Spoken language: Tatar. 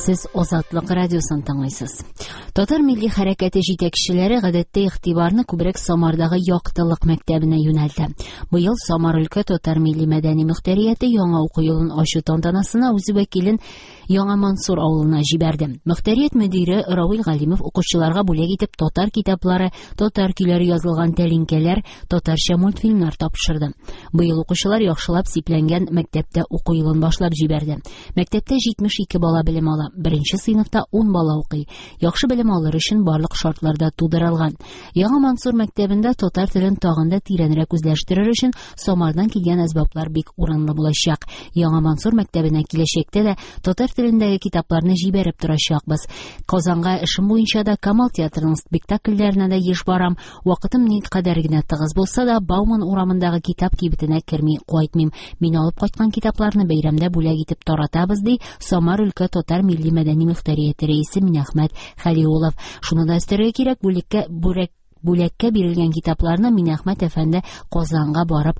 Сез Азатлык радиосын тыңлыйсыз. Татар милли хәрәкәте җитәкчеләре гадәттә игътибарны күбрәк Самардагы Яктылык мәктәбенә юнәлтә. Быел Самар өлкә татар милли мәдәни мөхтәрияте яңа уку елын ачу тантанасына үз вәкилен Яңа Мансур авылына җибәрде. Мөхтәрият мөдире Равил Галимов укучыларга бүләк итеп татар китаплары, татар көйләре язылган тәлинкәләр, татарча мультфильмнар тапшырды. Быел укучылар яхшылап сипләнгән мәктәптә уку елын башлап җибәрде. Мәктәптә 72 бала белем ала. Беренче сыйныфта 10 бала укый. Яхшы белем алыр өчен барлык шартлар да тудырылган. Яңа Мансур мәктәбендә татар телен тагын да тирәнрәк үзләштерер өчен Самардан килгән әсбаплар бик урынлы булачак. Яңа Мансур мәктәбенә киләчәктә дә татар телендәге китапларны җибәреп торачакбыз. Казанга эшем буенча да Камал театрының спектакльләренә дә еш барам. Вакытым никадәр генә тыгыз булса да, Бауман урамындагы китап кибетенә керми кайтмыйм. Мин алып кайткан китапларны бәйрәмдә бүләк итеп таратабыз, ди Самар өлкә татар милли мәдәни мөхтәрияте рәисе Минәхмәт Хәлиуллов. Шуны да өстәргә кирәк, бүлеккә бүләк бүләккә бирелгән китапларны Минәхмәт әфәнде Казанга барып